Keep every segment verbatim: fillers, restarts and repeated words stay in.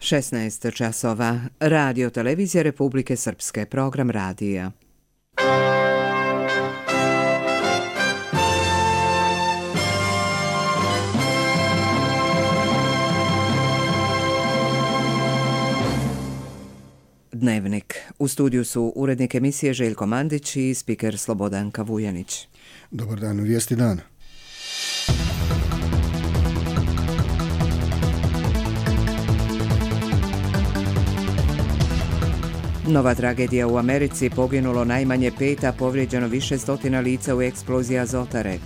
šesnaest časova. Radio Televizija Republike Srpske. Program radija. Dnevnik. U studiju su urednik emisije Željko Mandić i spiker Slobodanka Vujanić. Dobar dan, vijesti dana. Nova tragedija u Americi, poginulo najmanje pet, a povrijeđeno više stotina lica u eksploziji Azotare.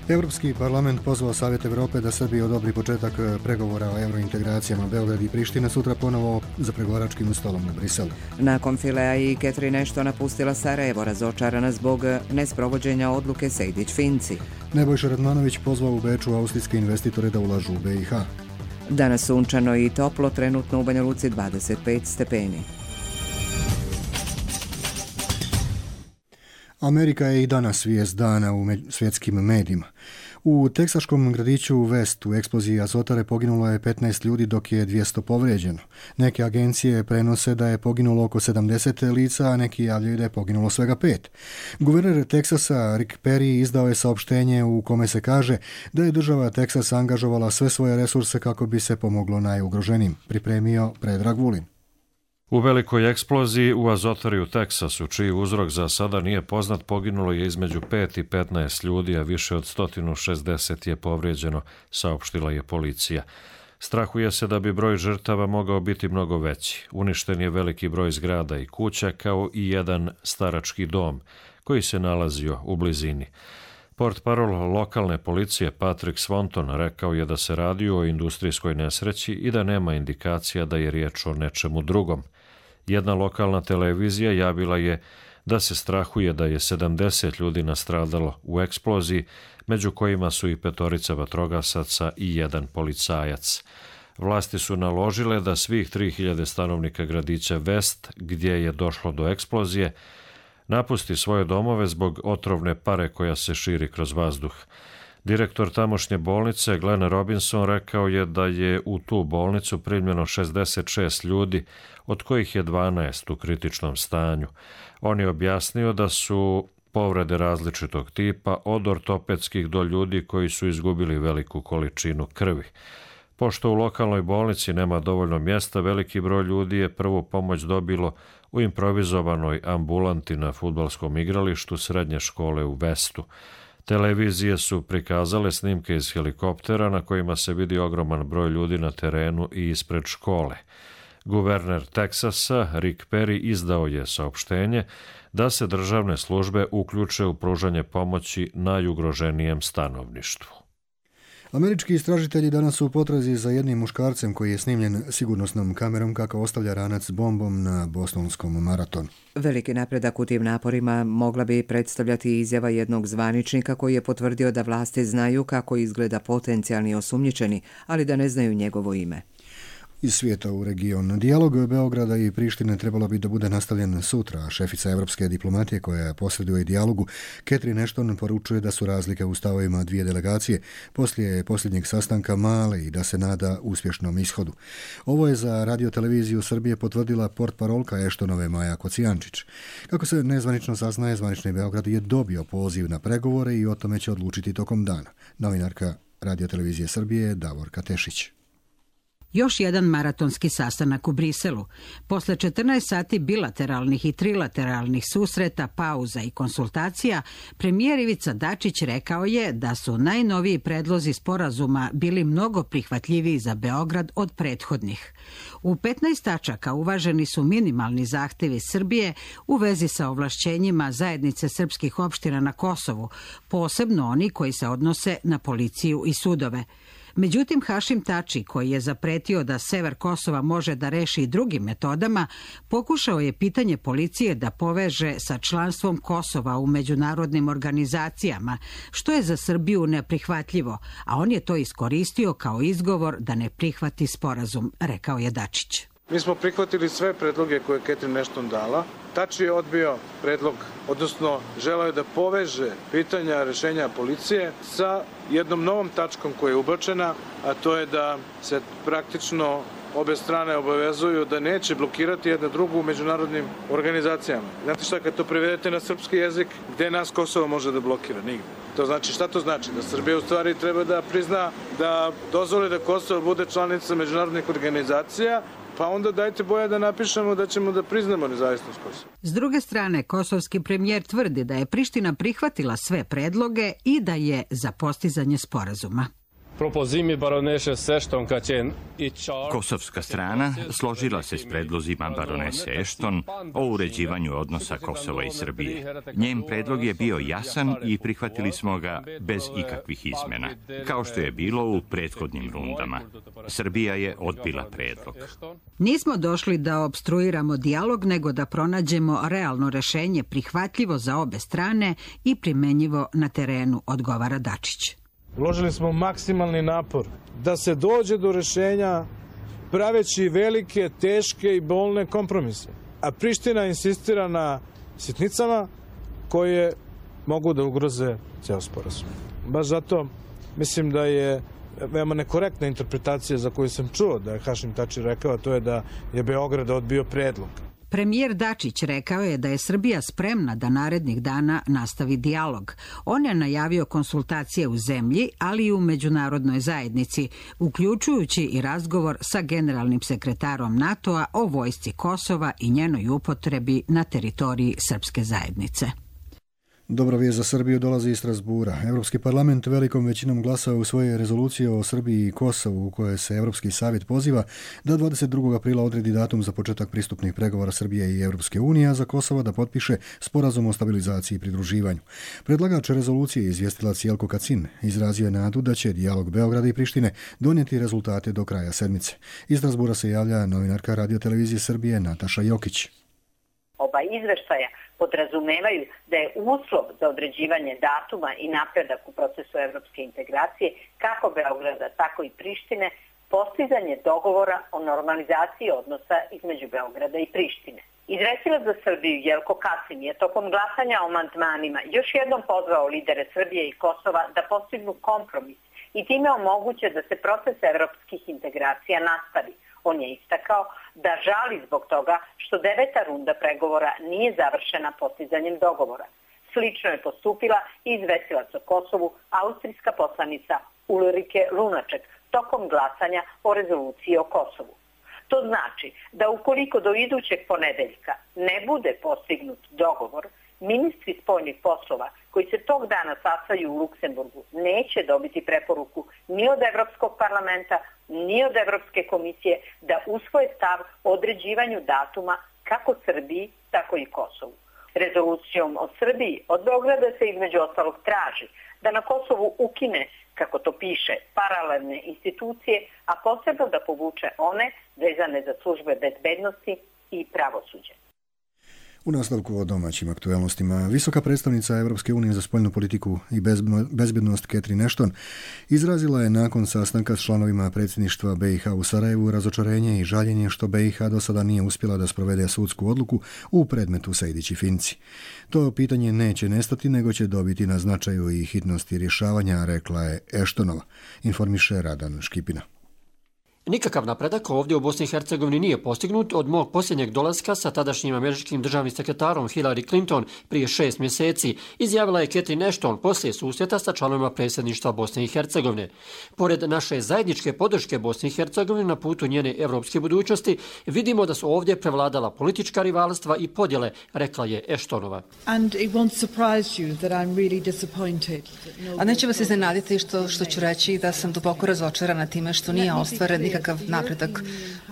Europski parlament pozvao Savjet Europe da Srbiji odobri početak pregovora o eurointegracijama. Beograd i Priština sutra ponovo za pregovaračkim stolom u Briselu. Nakon Filea i Catherine Ashton napustila Sarajevo, razočarana zbog nesprovođenja odluke Sejdić-Finci. Nebojša Radmanović pozvao u Beču austrijske investitore da ulažu u B i H. Danas sunčano i toplo, trenutno u Banja Luci dvadeset pet stepeni. Amerika je i danas vijest dana u svjetskim medijima. U teksaškom gradiću West u eksploziji Azotare poginulo je petnaest ljudi, dok je dvjesto povrijeđeno. Neke agencije prenose da je poginulo oko sedamdeset lica, a neki javljaju da je poginulo svega pet. Guverner Teksasa Rick Perry izdao je saopštenje u kome se kaže da je država Teksas angažovala sve svoje resurse kako bi se pomoglo najugroženijim. Pripremio Predrag Vulin. U velikoj eksploziji u Azotari u Teksasu, čiji uzrok za sada nije poznat, poginulo je između pet i petnaest ljudi, a više od sto šezdeset je povrijeđeno, saopštila je policija. Strahuje se da bi broj žrtava mogao biti mnogo veći. Uništen je veliki broj zgrada i kuća, kao i jedan starački dom koji se nalazio u blizini. Portparol lokalne policije Patrick Swanton rekao je da se radi o industrijskoj nesreći i da nema indikacija da je riječ o nečemu drugom. Jedna lokalna televizija javila je da se strahuje da je sedamdeset ljudi nastradalo u eksploziji, među kojima su i petorica vatrogasaca i jedan policajac. Vlasti su naložile da svih tri hiljade stanovnika gradića West, gdje je došlo do eksplozije, napusti svoje domove zbog otrovne pare koja se širi kroz vazduh. Direktor tamošnje bolnice Glenn Robinson rekao je da je u tu bolnicu primljeno šezdeset šest ljudi, od kojih je dvanaest u kritičnom stanju. On je objasnio da su povrede različitog tipa, od ortopedskih do ljudi koji su izgubili veliku količinu krvi. Pošto u lokalnoj bolnici nema dovoljno mjesta, veliki broj ljudi je prvu pomoć dobilo u improvizovanoj ambulanti na fudbalskom igralištu srednje škole u Westu. Televizije su prikazale snimke iz helikoptera na kojima se vidi ogroman broj ljudi na terenu i ispred škole. Guverner Teksasa Rick Perry izdao je saopštenje da se državne službe uključe u pružanje pomoći najugroženijem stanovništvu. Američki istražitelji danas su u potrazi za jednim muškarcem koji je snimljen sigurnosnom kamerom kako ostavlja ranac s bombom na bostonskom maratonu. Veliki napredak u tim naporima mogla bi predstavljati izjava jednog zvaničnika koji je potvrdio da vlasti znaju kako izgleda potencijalni osumnjičeni, ali da ne znaju njegovo ime. Iz svijeta u region. Dijalog Beograda i Prištine trebalo bi da bude nastavljen sutra, a šefica evropske diplomatije koja posreduje dijalogu, Catherine Ashton, poručuje da su razlike u stavovima dvije delegacije poslije posljednjeg sastanka male i da se nada uspješnom ishodu. Ovo je za Radio Televiziju Srbije potvrdila portparolka Ashtonove Maja Kocijančić. Kako se nezvanično saznaje, zvanični Beograd je dobio poziv na pregovore i o tome će odlučiti tokom dana. Novinarka Radio Televizije Srbije Davorka Tešić. Još jedan maratonski sastanak u Briselu. Posle četrnaest sati bilateralnih i trilateralnih susreta, pauza i konsultacija, premijer Ivica Dačić rekao je da su najnoviji predlozi sporazuma bili mnogo prihvatljiviji za Beograd od prethodnih. U petnaest tačaka uvaženi su minimalni zahtevi Srbije u vezi sa ovlašćenjima zajednice srpskih opština na Kosovu, posebno oni koji se odnose na policiju i sudove. Međutim, Hašim Tači, koji je zapretio da sever Kosova može da reši i drugim metodama, pokušao je pitanje policije da poveže sa članstvom Kosova u međunarodnim organizacijama, što je za Srbiju neprihvatljivo, a on je to iskoristio kao izgovor da ne prihvati sporazum, rekao je Dačić. Mi smo prihvatili sve predloge koje je Catherine Ashton dala. Tači je odbio predlog, odnosno želeo je da poveže pitanja rešenja policije sa jednom novom tačkom koja je ubačena, a to je da se praktično obe strane obavezuju da neće blokirati jedna drugu u međunarodnim organizacijama. Znate šta, kad to prevedete na srpski jezik, gde nas Kosovo može da blokira? Nigde. To znači, šta to znači? Da Srbija u stvari treba da prizna, da dozvoli da Kosovo bude članica međunarodnih organizacija, pa onda dajte boja da napišemo da ćemo da priznamo nezavisnost Kosova. S druge strane, kosovski premijer tvrdi da je Priština prihvatila sve predloge i da je za postizanje sporazuma. Kosovska strana složila se s predlozima baronese Ashton o uređivanju odnosa Kosova i Srbije. Njen predlog je bio jasan i prihvatili smo ga bez ikakvih izmena, kao što je bilo u prethodnim rundama. Srbija je odbila predlog. Nismo došli da opstruiramo dijalog, nego da pronađemo realno rešenje prihvatljivo za obe strane i primenjivo na terenu, odgovara Dačić. Uložili smo maksimalni napor da se dođe do rešenja praveći velike, teške i bolne kompromise. A Priština insistira na sitnicama koje mogu da ugroze ceo sporazum. Baš zato mislim da je veoma nekorektna interpretacija za koju sam čuo da je Hašim Tači rekao, to je da je Beograd odbio predlog. Premijer Dačić rekao je da je Srbija spremna da narednih dana nastavi dijalog. On je najavio konsultacije u zemlji, ali i u međunarodnoj zajednici, uključujući i razgovor sa generalnim sekretarom NATO-a o vojsci Kosova i njenoj upotrebi na teritoriji srpske zajednice. Dobra vijest za Srbiju dolazi iz Strasbura. Europski parlament velikom većinom glasao u svoje rezolucije o Srbiji i Kosovu u kojoj se Europski savjet poziva da dvadeset drugog aprila odredi datum za početak pristupnih pregovora Srbije i Europske unije, a za Kosovo da potpiše sporazum o stabilizaciji i pridruživanju. Predlagač rezolucije, izvjestilac Jelko Kacin, izrazio je nadu da će dijalog Beograda i Prištine donijeti rezultate do kraja sedmice. Iz Strasbura se javlja novinarka Radio-televizije Srbije Nataša Jokić. Oba izveštaja podrazumevaju da je uslov za određivanje datuma i napredak u procesu evropske integracije kako Beograda, tako i Prištine, postizanje dogovora o normalizaciji odnosa između Beograda i Prištine. Izvestilac za Srbiju Jelko Kacin je tokom glasanja o amandmanima još jednom pozvao lidere Srbije i Kosova da postignu kompromis i time omoguće da se proces evropskih integracija nastavi. On je istakao da žali zbog toga što deveta runda pregovora nije završena postizanjem dogovora. Slično je postupila i izvestilac o Kosovu, austrijska poslanica Ulrike Lunaček, tokom glasanja o rezoluciji o Kosovu. To znači da ukoliko do idućeg ponedeljka ne bude postignut dogovor, ministri spoljnih poslova koji se tog dana sastaju u Luksemburgu neće dobiti preporuku ni od Evropskog parlamenta, ni od Evropske komisije da usvoje stav o određivanju datuma kako Srbiji, tako i Kosovu. Rezolucijom o Srbiji od Beograda se između ostalog traži da na Kosovu ukine, kako to piše, paralelne institucije, a posebno da povuče one vezane za službe bezbednosti i pravosuđe. U nastavku o domaćim aktualnostima, visoka predstavnica Europske unije za spoljnu politiku i bezbednost Catherine Ashton izrazila je nakon sastanka s članovima predsjedništva B i H u Sarajevu razočarenje i žaljenje što B i H do sada nije uspjela da sprovede sudsku odluku u predmetu Sejdić i Finci. To pitanje neće nestati, nego će dobiti na značaju i hitnosti rješavanja, rekla je Ashtonova, informiše Radan Škipina. Nikakav napredak ovdje u Bosni i Hercegovini nije postignut od mog posljednjeg dolaska sa tadašnjim američkim državnim sekretarom Hillary Clinton prije šest mjeseci, izjavila je Catherine Ashton poslije susreta sa članovima predsjedništva Bosne i Hercegovine. Pored naše zajedničke podrške Bosni i Hercegovine na putu njene evropske budućnosti, vidimo da su ovdje prevladala politička rivalstva i podjele, rekla je Ashtonova. A neće vas iznenaditi što, što ću reći da sam duboko razočarana time što nije ostvaren nikakav napredak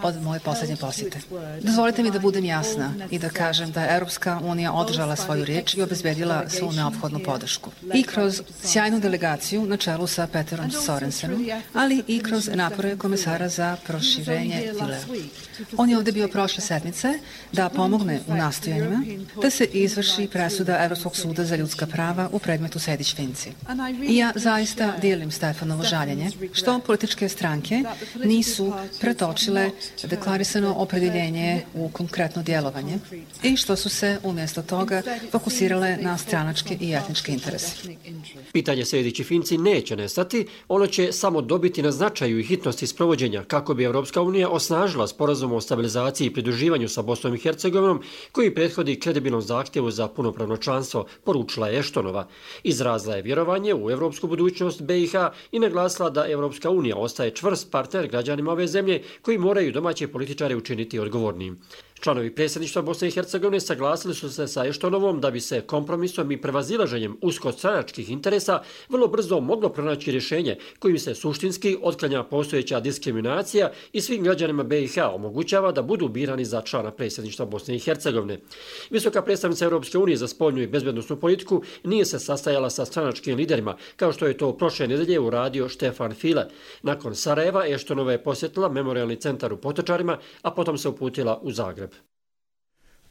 od moje posljednje posjete. Dozvolite mi da budem jasna i da kažem da je Europska unija održala svoju riječ i obezbedila svu neophodnu podršku. I kroz sjajnu delegaciju na čelu sa Peterom Sorensenom, ali i kroz napore komesara za proširenje Filea. On je ovdje bio prošle sedmice da pomogne u nastojanjima da se izvrši presuda Europskog suda za ljudska prava u predmetu Sejdić-Finci. I ja zaista dijelim Stefanovo žaljenje što političke stranke nisu nisu pretočile deklarisano opredjeljenje u konkretno djelovanje i što su se umjesto toga fokusirale na stranačke i etničke interese. Pitanje sljedeći Finci neće nestati, ono će samo dobiti na značaju i hitnosti sprovođenja kako bi Europska unija osnažila sporazum o stabilizaciji i pridruživanju sa Bosnom i Hercegovinom koji prethodi kredibilnom zahtjevu za punopravno članstvo, poručila je Eštonova. Izrazila je vjerovanje u europsku budućnost B i H i naglasila da Europska unija ostaje čvrst partner građanima ove zemlje koji moraju domaće političare učiniti odgovornim. Članovi predsjedništva Bosne i Hercegovine saglasili su se sa Eštonovom da bi se kompromisom i prevazilaženjem uskostranačkih interesa vrlo brzo moglo pronaći rješenje kojim se suštinski otklanja postojeća diskriminacija i svim građanima B i H omogućava da budu birani za člana predsjedništva Bosne i Hercegovine. Visoka predstavnica Europske unije za spoljnu i bezbednosnu politiku nije se sastajala sa stranačkim liderima, kao što je to prošle nedelje uradio Štefan File. Nakon Sarajeva Eštonova je posjetila memorijalni centar u Potočarima, a potom se uputila u Zagreb.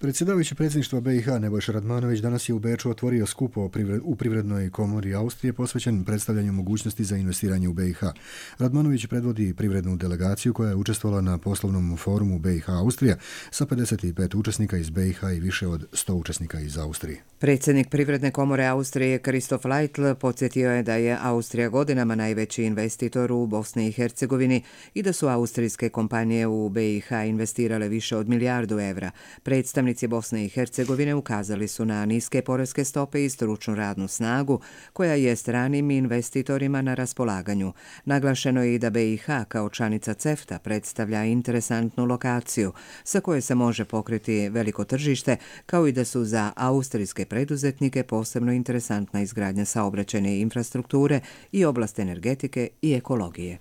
Predsjedavajući predsjedništva B i H Nebojša Radmanović danas je u Beču otvorio skup u Privrednoj komori Austrije posvećen predstavljanju mogućnosti za investiranje u B i H. Radmanović predvodi privrednu delegaciju koja je učestvovala na poslovnom forumu B i H Austrija sa pedeset pet učesnika iz B i H i više od sto učesnika iz Austrije. Predsjednik Privredne komore Austrije Kristof Leitl podsjetio je da je Austrija godinama najveći investitor u Bosni i Hercegovini i da su austrijske kompanije u B i H investirale više od milijardu evra. Predstavnik Predstavnici Bosne i Hercegovine ukazali su na niske poreske stope i stručnu radnu snagu koja je stranim investitorima na raspolaganju. Naglašeno je i da B i H kao članica CEFTA predstavlja interesantnu lokaciju sa koje se može pokriti veliko tržište, kao i da su za austrijske preduzetnike posebno interesantna izgradnja saobraćajne infrastrukture i oblast energetike i ekologije.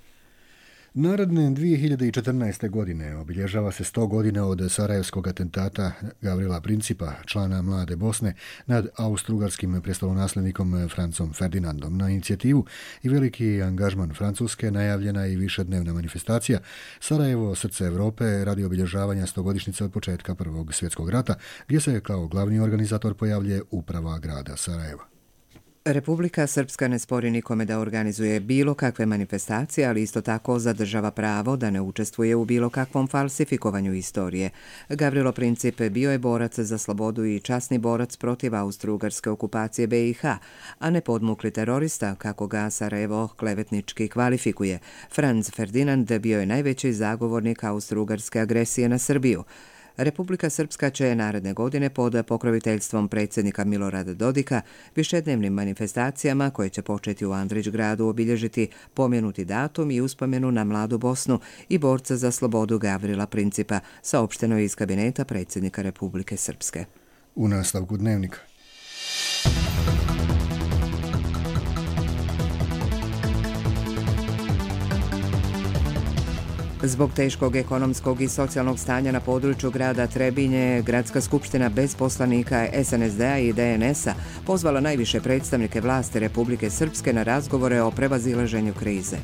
Naredne dvije hiljade četrnaeste. godine obilježava se sto godina od sarajevskog atentata Gavrila Principa, člana Mlade Bosne, nad austrougarskim prestolonasljednikom Francom Ferdinandom. Na inicijativu i veliki angažman Francuske najavljena je i višednevna manifestacija Sarajevo, srce Europe, radi obilježavanja stogodišnjice od početka Prvog svjetskog rata, gdje se kao glavni organizator pojavljuje uprava grada Sarajeva. Republika Srpska ne spori nikome da organizuje bilo kakve manifestacije, ali isto tako zadržava pravo da ne učestvuje u bilo kakvom falsifikovanju istorije. Gavrilo Princip bio je borac za slobodu i časni borac protiv austrougarske okupacije B i H, a ne podmukli terorista, kako ga Sarajevo klevetnički kvalifikuje. Franz Ferdinand bio je najveći zagovornik austrougarske agresije na Srbiju. Republika Srpska će naredne godine pod pokroviteljstvom predsjednika Milorada Dodika višednevnim manifestacijama koje će početi u Andrićgradu obilježiti pomenuti datum i uspomenu na Mladu Bosnu i borca za slobodu Gavrila Principa, saopšteno je iz kabineta predsjednika Republike Srpske. U nastavku dnevnika. Zbog teškog ekonomskog i socijalnog stanja na području grada Trebinje, Gradska skupština bez poslanika S N S D-a i D N S-a pozvala najviše predstavnike vlasti Republike Srpske na razgovore o prevazilaženju krize.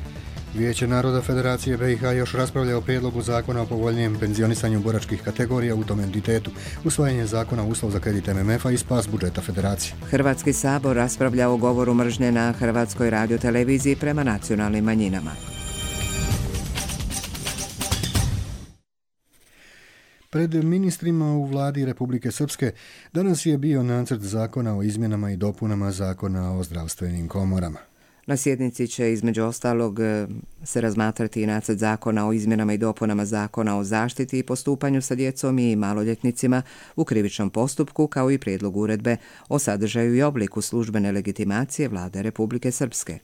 Vijeće naroda Federacije B i H još raspravlja o prijedlogu zakona o povoljnijem penzionisanju boračkih kategorija u tom entitetu, usvajanje zakona uslov za kredit M M F-a i spas budžeta Federacije. Hrvatski sabor raspravlja o govoru mržnje na Hrvatskoj radioteleviziji prema nacionalnim manjinama. Pred ministrima u vladi Republike Srpske danas je bio nacrt zakona o izmjenama i dopunama zakona o zdravstvenim komorama. Na sjednici će između ostalog se razmatrati i nacrt zakona o izmjenama i dopunama zakona o zaštiti i postupanju sa djecom i maloljetnicima u krivičnom postupku, kao i prijedlog uredbe o sadržaju i obliku službene legitimacije vlade Republike Srpske.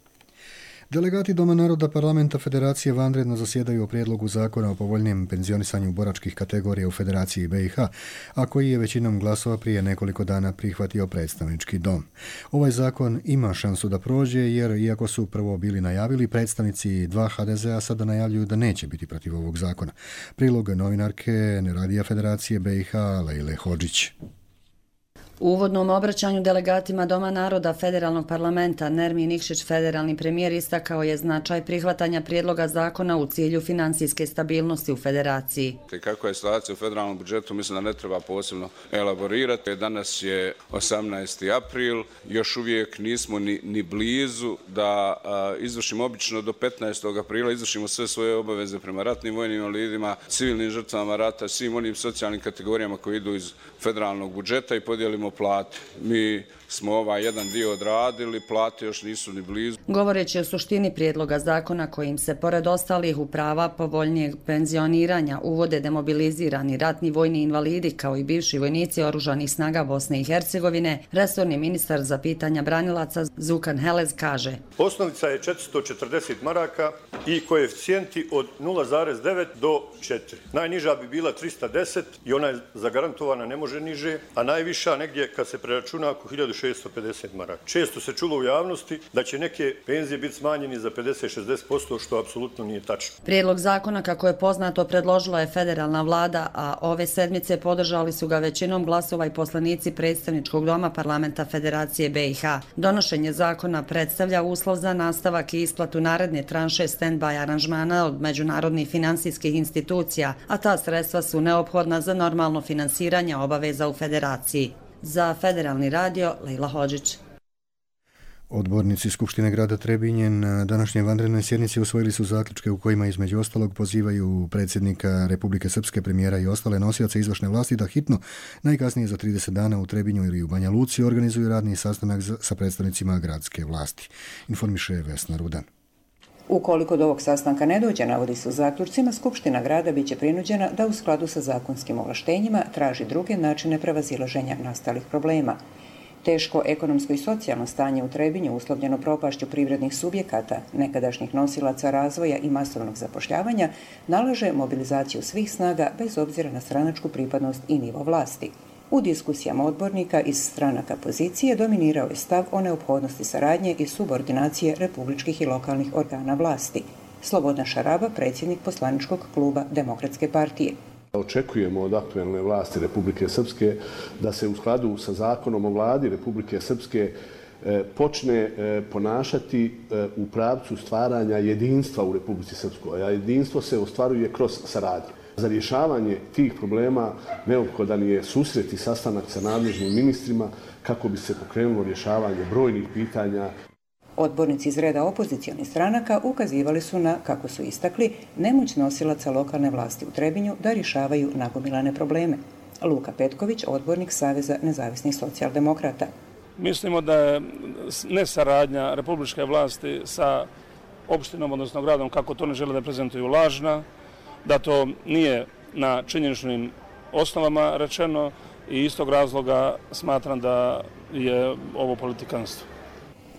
Delegati Doma naroda Parlamenta Federacije vanredno zasjedaju o prijedlogu zakona o povoljnijem penzionisanju boračkih kategorija u Federaciji B i H, a koji je većinom glasova prije nekoliko dana prihvatio predstavnički dom. Ovaj zakon ima šansu da prođe jer, iako su prvo bili najavili, predstavnici dva H D Z-a sada najavljuju da neće biti protiv ovog zakona. Prilog novinarke Radija Federacije B i H Lejle Hodžić. U uvodnom obraćanju delegatima Doma naroda Federalnog parlamenta Nermin Nikšić, federalni premijer, istakao je značaj prihvatanja prijedloga zakona u cilju finansijske stabilnosti u federaciji. Kako je situacija u federalnom budžetu, mislim da ne treba posebno elaborirati. Danas je osamnaesti april, još uvijek nismo ni, ni blizu da a, izvršimo obično do petnaestog aprila, izvršimo sve svoje obaveze prema ratnim vojnim invalidima, civilnim žrtvama rata, svim onim socijalnim kategorijama koji idu iz federalnog budžeta i podijelimo plate. Mi smo ovaj jedan dio odradili, plate još nisu ni blizu. Govoreći o suštini prijedloga zakona kojim se pored ostalih u prava povoljnijeg penzioniranja uvode demobilizirani ratni vojni invalidi kao i bivši vojnici oružanih snaga Bosne i Hercegovine, resorni ministar za pitanja branilaca Zukan Helez kaže: Osnovica je četiristo četrdeset maraka i koeficijenti od nula zarez devet do četiri. Najniža bi bila trista deset i ona je zagarantovana, ne može niže, a najviša negdje kad se preračuna oko hiljadu šesto pedeset maraka. Često se čulo u javnosti da će neke penzije biti smanjeni za pedeset do šezdeset posto, što apsolutno nije tačno. Prijedlog zakona, kako je poznato, predložila je federalna vlada, a ove sedmice podržali su ga većinom glasova i poslanici predstavničkog doma parlamenta Federacije B i H. Donošenje zakona predstavlja uslov za nastavak i isplatu naredne tranše stand-by aranžmana od međunarodnih finansijskih institucija, a ta sredstva su neophodna za normalno finansiranje obaveza u federaciji. Za Federalni radio, Lejla Hodžić. Odbornici Skupštine grada Trebinje na današnjoj vanrednoj sjednici usvojili su zaključke u kojima između ostalog pozivaju predsjednika Republike Srpske, premijera i ostale nosioce izvršne vlasti da hitno, najkasnije za trideset dana u Trebinju ili u Banja Luci, organizuju radni sastanak sa predstavnicima gradske vlasti. Informiše Vesna Rudan. Ukoliko do ovog sastanka ne dođe, navodi se u zaključcima, Skupština grada biće prinuđena da u skladu sa zakonskim ovlaštenjima traži druge načine prevazilaženja nastalih problema. Teško ekonomsko i socijalno stanje u Trebinju, uslovljeno propašću privrednih subjekata, nekadašnjih nosilaca razvoja i masovnog zapošljavanja, nalaže mobilizaciju svih snaga bez obzira na stranačku pripadnost i nivo vlasti. U diskusijama odbornika iz stranaka pozicije dominirao je stav o neophodnosti saradnje i subordinacije republičkih i lokalnih organa vlasti. Slobodan Šaraba, predsjednik poslaničkog kluba Demokratske partije. Očekujemo od aktuelne vlasti Republike Srpske da se u skladu sa zakonom o vladi Republike Srpske počne ponašati u pravcu stvaranja jedinstva u Republici Srpskoj, a jedinstvo se ostvaruje kroz saradnju. Za rješavanje tih problema neophodan je susret i sastanak sa nadležnim ministrima kako bi se pokrenulo rješavanje brojnih pitanja. Odbornici iz reda opozicionih stranaka ukazivali su na, kako su istakli, nemoć nosilaca lokalne vlasti u Trebinju da rješavaju nagomilane probleme. Luka Petković, odbornik Saveza nezavisnih socijaldemokrata. Mislimo da je nesaradnja republičke vlasti sa opštinom, odnosno gradom, kako to ne žele da prezentuju, lažna, da to nije na činjeničnim osnovama rečeno i istog razloga smatram da je ovo politikanstvo.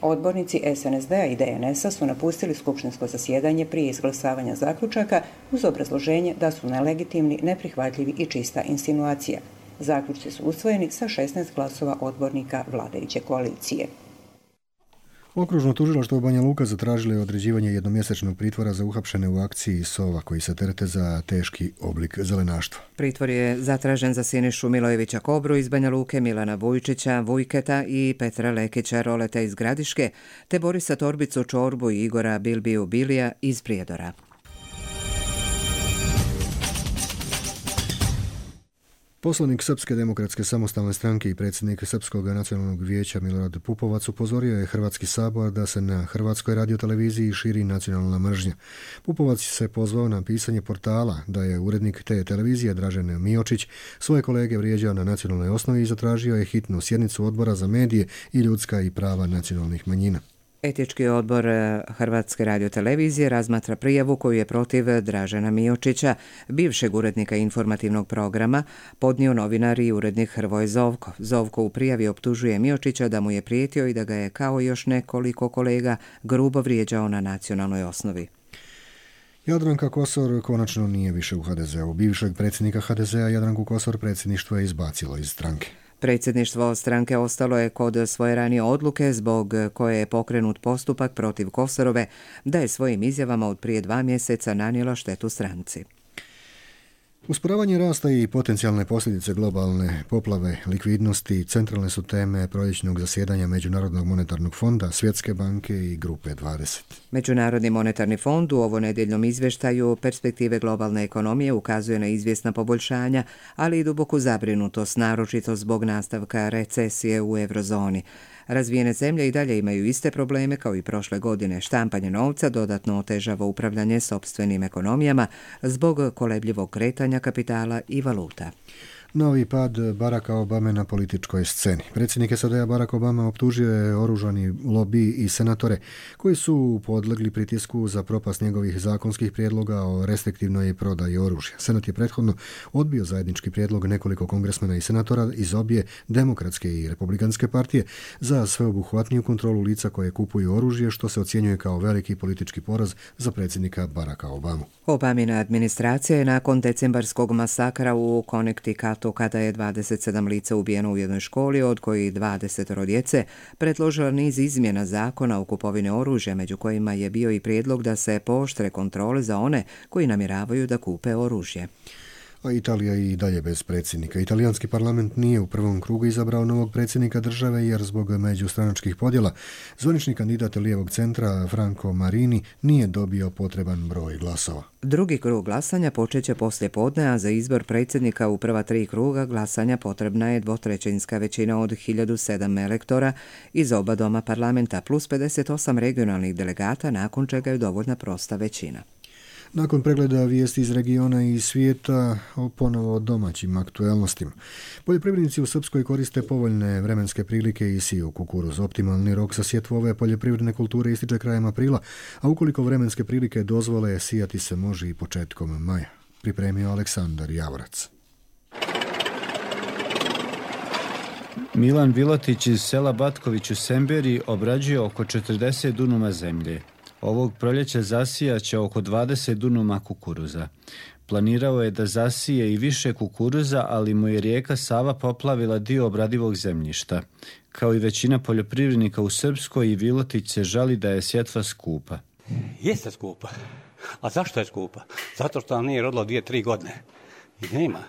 Odbornici S N S D-a i D N S-a su napustili skupštinsko zasjedanje prije izglasavanja zaključaka uz obrazloženje da su nelegitimni, neprihvatljivi i čista insinuacija. Zaključci su usvojeni sa šesnaest glasova odbornika vladajuće koalicije. Okružno tužilaštvo Banja Luka zatražilo je određivanje jednomjesečnog pritvora za uhapšene u akciji Sova koji se terete za teški oblik zelenaštva. Pritvor je zatražen za Sinišu Milojevića Kobru iz Banja Luke, Milana Vujčića, Vujketa i Petra Lekića Roleta iz Gradiške, te Borisa Torbicu Čorbu i Igora Bilbiju Bilija iz Prijedora. Poslanik Srpske demokratske samostalne stranke i predsjednik Srpskog nacionalnog vijeća Milorad Pupovac upozorio je Hrvatski sabor da se na Hrvatskoj radioteleviziji širi nacionalna mržnja. Pupovac se pozvao na pisanje portala da je urednik te televizije Dražen Miočić svoje kolege vrijeđao na nacionalnoj osnovi i zatražio je hitnu sjednicu odbora za medije i ljudska i prava nacionalnih manjina. Etički odbor Hrvatske radiotelevizije razmatra prijavu koju je protiv Dražena Miočića, bivšeg urednika informativnog programa, podnio novinar i urednik Hrvoje Zovko. Zovko u prijavi optužuje Miočića da mu je prijetio i da ga je kao još nekoliko kolega grubo vrijeđao na nacionalnoj osnovi. Jadranka Kosor konačno nije više u H D Z-u. Bivšeg predsjednika H D Z-a Jadranku Kosor predsjedništvo je izbacilo iz stranke. Predsjedništvo stranke ostalo je kod svoje ranije odluke zbog koje je pokrenut postupak protiv Kosorove da je svojim izjavama od prije dva mjeseca nanijela štetu stranci. Usporavanje rasta i potencijalne posljedice globalne poplave likvidnosti centralne su teme proljećnog zasjedanja Međunarodnog monetarnog fonda, Svjetske banke i Grupe dvadeset. Međunarodni monetarni fond u ovonedjeljnom izvještaju perspektive globalne ekonomije ukazuje na izvjesna poboljšanja, ali i duboku zabrinutost, naročito zbog nastavka recesije u eurozoni. Razvijene zemlje i dalje imaju iste probleme kao i prošle godine. Štampanje novca dodatno otežava upravljanje sopstvenim ekonomijama zbog kolebljivog kretanja kapitala i valuta. Novi pad Baracka Obame na političkoj sceni. Predsjednik S A D-a Barack Obama optužio je oružani lobi i senatore koji su podlegli pritisku za propast njegovih zakonskih prijedloga o restriktivnoj prodaji oružja. Senat je prethodno odbio zajednički prijedlog nekoliko kongresmena i senatora iz obje demokratske i republikanske partije za sveobuhvatniju kontrolu lica koje kupuju oružje, što se ocjenjuje kao veliki politički poraz za predsjednika Baracka Obamu. Obamina administracija je nakon decembarskog masakra u Connecticutu, kada je dvadeset sedam lica ubijeno u jednoj školi, od kojih dvadeset djece, predložila niz izmjena zakona o kupovini oružja, među kojima je bio i prijedlog da se pooštre kontrole za one koji namjeravaju da kupe oružje. A Italija i dalje bez predsjednika. Italijanski parlament nije u prvom krugu izabrao novog predsjednika države jer zbog međustranačkih podjela zvanični kandidat lijevog centra Franco Marini nije dobio potreban broj glasova. Drugi krug glasanja počeće poslije podne, a za izbor predsjednika u prva tri kruga glasanja potrebna je dvotrećinska većina od hiljadu sedam elektora iz oba doma parlamenta plus pedeset osam regionalnih delegata, nakon čega je dovoljna prosta većina. Nakon pregleda vijesti iz regiona i svijeta, ponovo o domaćim aktuelnostima. Poljoprivrednici u Srpskoj koriste povoljne vremenske prilike i siju kukuruz. Optimalni rok za sjetvu ove poljoprivredne kulture ističe krajem aprila, a ukoliko vremenske prilike dozvole, sijati se može i početkom maja. Pripremio Aleksandar Javorac. Milan Vilotić iz sela Batković u Semberi obrađuje oko četrdeset dunuma zemlje. Ovog proljeća zasijaće oko dvadeset dunuma kukuruza. Planirao je da zasije i više kukuruza, ali mu je rijeka Sava poplavila dio obradivog zemljišta. Kao i većina poljoprivrednika u Srpskoj, i Vilotić se žali da je sjetva skupa. Jeste skupa. A zašto je skupa? Zato što nam nije rodilo dvije, tri godine. I nema.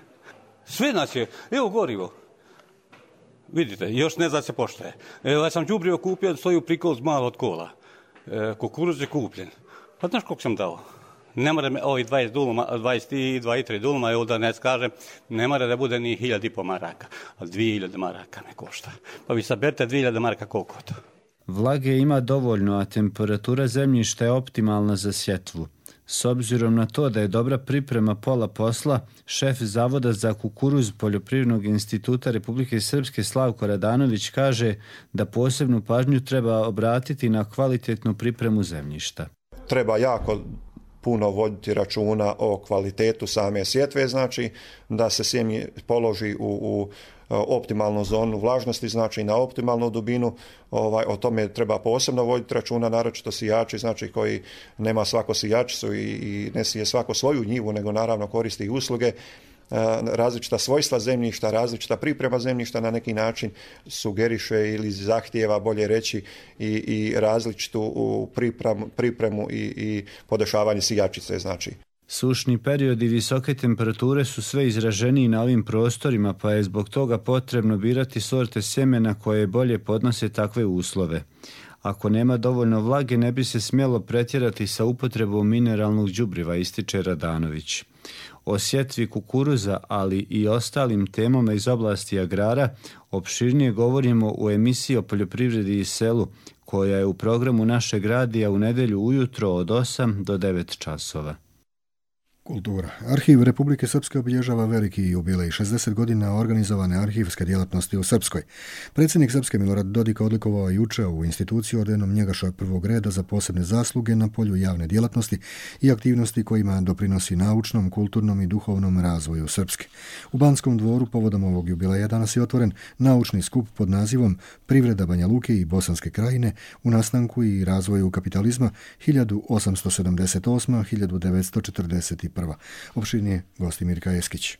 Sve nas je, evo gorivo. Vidite, još ne zna se pošto je. Evo, ja sam đubrivo kupio, stoji u prikol malo od kola. E, kukuruz je kupljen. Pa znaš koliko sam dao? Ne mora me ovi dvadeset duluma, dvadeset i dvadeset tri duluma, evo da ne skažem, ne mora da bude ni hiljad i po maraka, ali dvije hiljade maraka me košta. Pa vi saberete dvije hiljade maraka koliko to? Vlage ima dovoljno, a temperatura zemljišta je optimalna za sjetvu. S obzirom na to da je dobra priprema pola posla, šef Zavoda za kukuruz Poljoprivrednog instituta Republike Srpske Slavko Radanović kaže da posebnu pažnju treba obratiti na kvalitetnu pripremu zemljišta. Treba jako puno voditi računa o kvalitetu same sjetve, znači da se sjeme položi u, u optimalnu zonu vlažnosti, znači na optimalnu dubinu. Ovaj, o tome treba posebno voditi računa, naročito sijači, znači koji nema svako sijačicu i, i ne sije svako svoju njivu, nego naravno koristi i usluge. Različita svojstva zemljišta, različita priprema zemljišta na neki način sugeriše ili zahtijeva, bolje reći, i, i različitu pripremu, pripremu i, i podešavanje sijačice, znači. Sušni periodi i visoke temperature su sve izraženiji na ovim prostorima, pa je zbog toga potrebno birati sorte sjemena koje bolje podnose takve uslove. Ako nema dovoljno vlage, ne bi se smjelo pretjerati sa upotrebom mineralnog đubriva, ističe Radanović. O sjetvi kukuruza, ali i ostalim temama iz oblasti agrara, opširnije govorimo u emisiji o poljoprivredi i selu, koja je u programu našeg radija u nedjelju ujutro od osam do devet časova. Kultura. Arhiv Republike Srpske obilježava veliki jubilej, šezdeset godina organizovane arhivske djelatnosti u Srpskoj. Predsjednik Srpske Milorad Dodik odlikovao juče ovu instituciju ordenom Njegaša prvog reda za posebne zasluge na polju javne djelatnosti i aktivnosti kojima doprinosi naučnom, kulturnom i duhovnom razvoju Srpske. U Banskom dvoru povodom ovog jubileja danas je otvoren naučni skup pod nazivom Privreda Banja Luke i Bosanske krajine u nastanku i razvoju kapitalizma hiljadu osamsto sedamdeset osma do hiljadu devetsto četrdeset prva. Opširnije Gostimirka Eskić.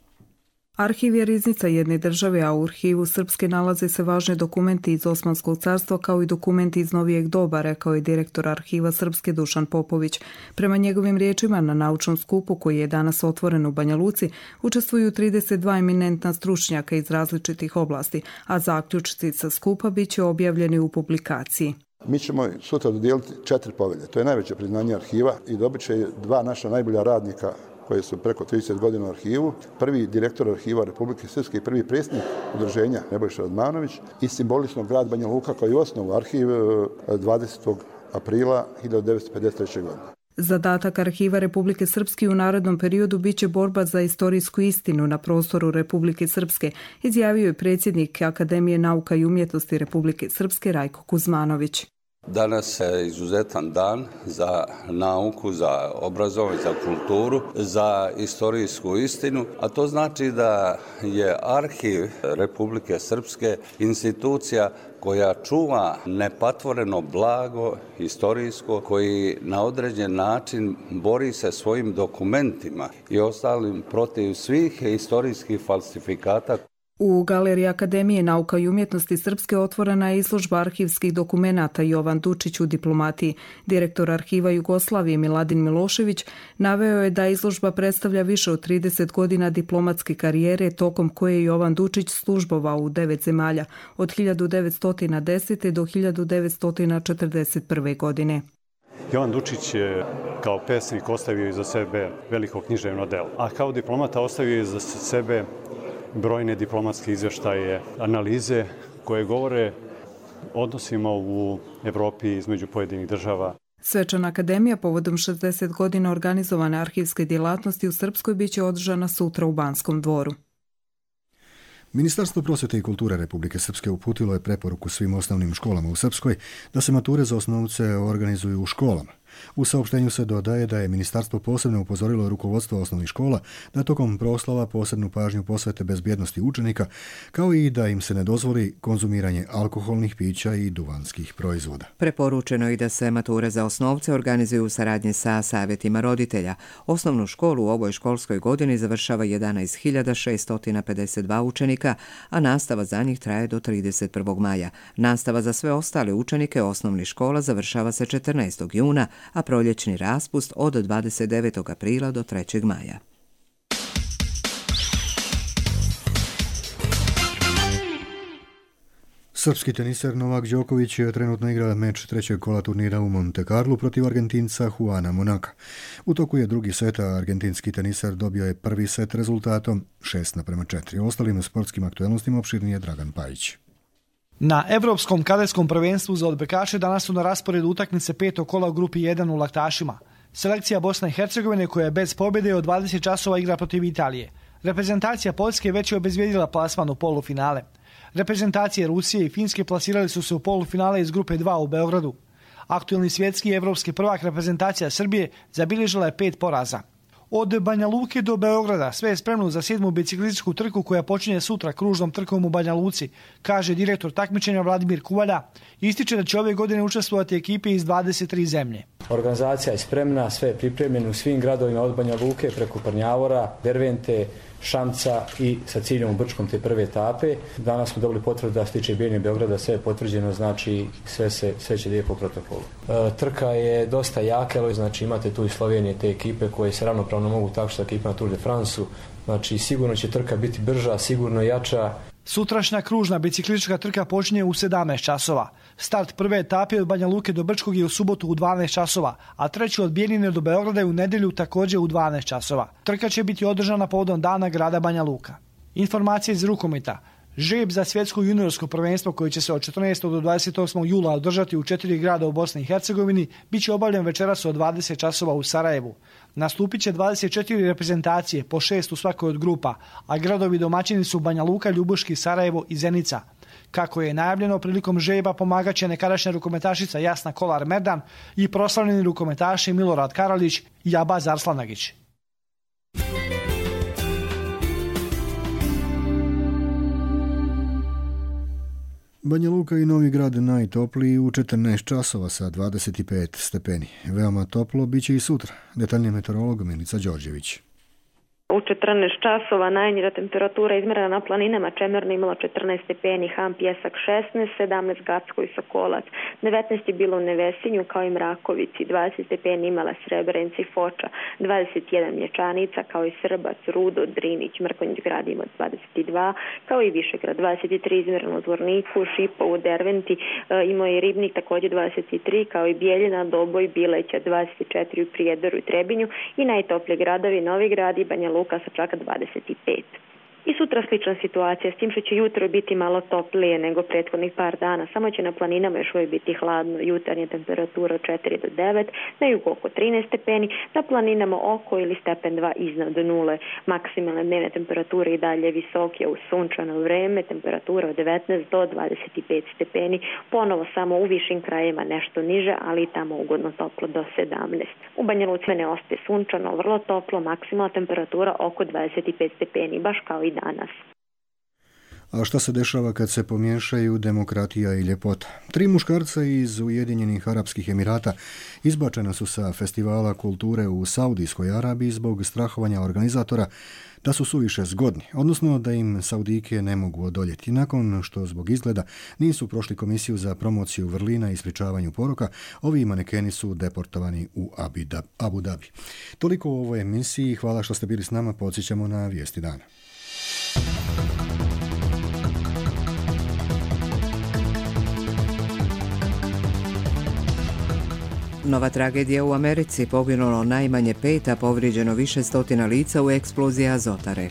Arhiv je riznica jedne države, a u arhivu Srpske nalaze se važni dokumenti iz Osmanskog carstva kao i dokumenti iz novijeg doba, rekao je direktor Arhiva Srpske Dušan Popović. Prema njegovim riječima, na naučnom skupu koji je danas otvoren u Banja Luci učestvuju trideset dva eminentna stručnjaka iz različitih oblasti, a zaključci sa skupa bit će objavljeni u publikaciji. Mi ćemo sutra dodijeliti četiri povelje. To je najveće priznanje arhiva i dobit će dva naša najbolja radnika koji su preko trideset godina u arhivu. Prvi direktor arhiva Republike Srpske i prvi predsjednik udruženja Nebojša Radmanović i simbolično grad Banja Luka koji je osnovu arhiv dvadesetog aprila hiljadu devetsto pedeset treće. godine. Zadatak Arhiva Republike Srpske u narednom periodu biće borba za istorijsku istinu na prostoru Republike Srpske, izjavio je predsjednik Akademije nauka i umjetnosti Republike Srpske Rajko Kuzmanović. Danas je izuzetan dan za nauku, za obrazovanje, za kulturu, za istorijsku istinu, a to znači da je Arhiv Republike Srpske institucija koja čuva nepatvoreno blago istorijsko, koji na određen način bori se svojim dokumentima i ostalim protiv svih istorijskih falsifikata. U Galeriji Akademije nauka i umjetnosti Srpske otvorena je izložba arhivskih dokumenata Jovan Dučić u diplomatiji. Direktor Arhiva Jugoslavije Miladin Milošević naveo je da izložba predstavlja više od trideset godina diplomatske karijere tokom koje je Jovan Dučić službovao u devet zemalja od hiljadu devetsto desete. do hiljadu devetsto četrdeset prve. godine. Jovan Dučić je kao pesnik ostavio iza sebe veliko književno delo, a kao diplomata ostavio iza sebe brojne diplomatske izvještaje, analize koje govore o odnosima u Evropi između pojedinih država. Svečana akademija povodom šezdeset godina organizovane arhivske djelatnosti u Srpskoj biće održana sutra u Banskom dvoru. Ministarstvo prosvjete i kulture Republike Srpske uputilo je preporuku svim osnovnim školama u Srpskoj da se mature za osnovce organizuju u školama. U saopštenju se dodaje da je ministarstvo posebno upozorilo rukovodstvo osnovnih škola da tokom proslava posebnu pažnju posvete bezbjednosti učenika, kao i da im se ne dozvoli konzumiranje alkoholnih pića i duvanskih proizvoda. Preporučeno je da se mature za osnovce organizuju u saradnji sa savjetima roditelja. Osnovnu školu u ovoj školskoj godini završava jedanaest hiljada šeststo pedeset dva učenika, a nastava za njih traje do trideset prvog maja. Nastava za sve ostale učenike osnovnih škola završava se četrnaestog juna, a proljećni raspust od dvadeset devetog aprila do trećeg maja. Srpski teniser Novak Đoković trenutno igra meč trećeg kola turnira u Monte Carlo protiv Argentinca Juana Monaka. U toku je drugi set, a argentinski teniser dobio je prvi set rezultatom šest naprema četiri. O ostalim sportskim aktualnostima opširnije Dragan Pajić. Na Evropskom kadetskom prvenstvu za odbojkaše danas su na rasporedu utakmice petog kola u grupi jedan u laktašima. Selekcija Bosne i Hercegovine koja je bez pobjede od dvadeset časova igra protiv Italije. Reprezentacija Poljske već je obezvijedila plasman u polufinale. Reprezentacije Rusije i Finske plasirali su se u polufinale iz grupe dva u Beogradu. Aktualni svjetski i evropski prvak reprezentacija Srbije zabilježila je pet poraza. Od Banja Luke do Beograda sve je spremno za sedmu biciklističku trku koja počinje sutra kružnom trkom u Banja Luci, kaže direktor takmičenja Vladimir Kuvalja. Ističe da će ove godine učestvovati ekipe iz dvadeset tri zemlje. Organizacija je spremna, sve je pripremljeno u svim gradovima od Banja Luke preko Prnjavora, Dervente, Šamca i sa ciljem u Brčkom te prve etape. Danas smo dobili potvrdu da se tiče Bijeljine Beograda, sve je potvrđeno, znači sve, se, sve će lijepo u protokolu. E, trka je dosta jaka, znači imate tu i Slovenije te ekipe koje se ravnopravno mogu takšiti sa ekipama Tour de France-u, znači sigurno će trka biti brža, sigurno jača. Sutrašnja kružna biciklistička trka počinje u sedamnaest časova. Start prve etape od Banja Luke do Brčkog je u subotu u dvanaest časova, a treći od Bijeljine do Beograda je u nedjelju također u dvanaest časova. Trka će biti održana povodom dana grada Banja Luka. Informacije iz rukometa. Žreb za svjetsko juniorsko prvenstvo koje će se od četrnaestog do dvadeset osmog jula održati u četiri grada u Bosni i Hercegovini biće obavljen večeras od dvadeset časova u Sarajevu. Nastupit će dvadeset četiri reprezentacije, po šest u svakoj od grupa, a gradovi domaćini su Banja Luka, Ljubuški, Sarajevo i Zenica. Kako je najavljeno, prilikom žreba pomagat će nekadašnja rukometašica Jasna Kolar-Merdan i proslavljeni rukometaši Milorad Karalić i Abaz Arslanagić. Banja Luka i Novi Grad najtopliji u četrnaest časova sa dvadeset pet stepeni. Veoma toplo biće i sutra. Detaljnije meteorolog Milica Đorđević. U četrnaest časova najniža temperatura izmjerena na planinama Čemerno imala četrnaest stepeni, Ham, Pjesak šesnaest, sedamnaest Gacko i Sokolac, devetnaest je bilo u Nevesinju kao i Mrakovici, dvadeset stepeni imala Srebrenica i Foča, dvadeset jedan Mlječanica kao i Srbac, Rudo, Drinić, Mrkonjić grad ima dvadeset dva, kao i Višegrad, dvadeset tri izmjereno u Zvorniku, Šipovu, Derventi, e, imao je Ribnik također dvadeset tri, kao i Bijeljina, Doboj, Bileća dvadeset četiri u Prijedoru i Trebinju i najtoplije gradovi Novi Grad i Banja Luka sa čak dvadeset pet. I sutra slična situacija, s tim što će jutro biti malo toplije nego prethodnih par dana, samo će na planinama još uvijek biti hladno, jutarnja temperatura od četiri do devet, na jugu oko trinaest stepeni, na planinama oko ili stepen dva iznad nule, maksimalne dnevne temperature i dalje visoke u sunčano vreme, temperatura od devetnaest do dvadeset pet stepeni, ponovo samo u višim krajevima nešto niže, ali i tamo ugodno toplo do sedamnaest. U Banja Luci ne ostaje sunčano, vrlo toplo, maksimalna temperatura oko dvadeset pet stepeni, baš kao i danas. A šta se dešava kad se pomiješaju demokratija i ljepota? Tri muškarca iz Ujedinjenih Arapskih Emirata izbačena su sa festivala kulture u Saudijskoj Arabiji zbog strahovanja organizatora da su suviše zgodni, odnosno da im Saudijke ne mogu odoljeti. Nakon što zbog izgleda nisu prošli komisiju za promociju vrlina i sprječavanju poroka, ovi manekeni su deportovani u Abu Dhabi. Toliko u ovoj emisiji. Hvala što ste bili s nama. Podsjećamo na vijesti dana. Nova tragedija u Americi, poginulo najmanje pet, a povrijeđeno više stotina lica u eksploziji azotare.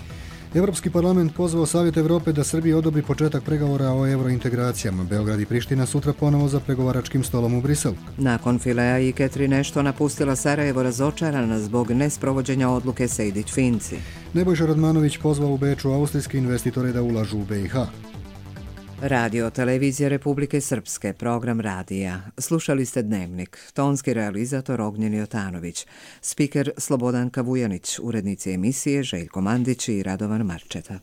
Europski parlament pozvao Savjet Europe da Srbiji odobri početak pregovora o eurointegracijama. Beograd i Priština sutra ponovo za pregovaračkim stolom u Briselu. Nakon Filea i Catherine Ashton napustila Sarajevo razočarana zbog nesprovođenja odluke Sejdić-Finci. Nebojša Radmanović pozvao u Beču austrijske investitore da ulažu u B i H. Radio Televizija Republike Srpske, program radija. Slušali ste Dnevnik, tonski realizator Ognjen Jotanović, spiker Slobodanka Vujanić, urednici emisije Željko Mandić i Radovan Marčeta.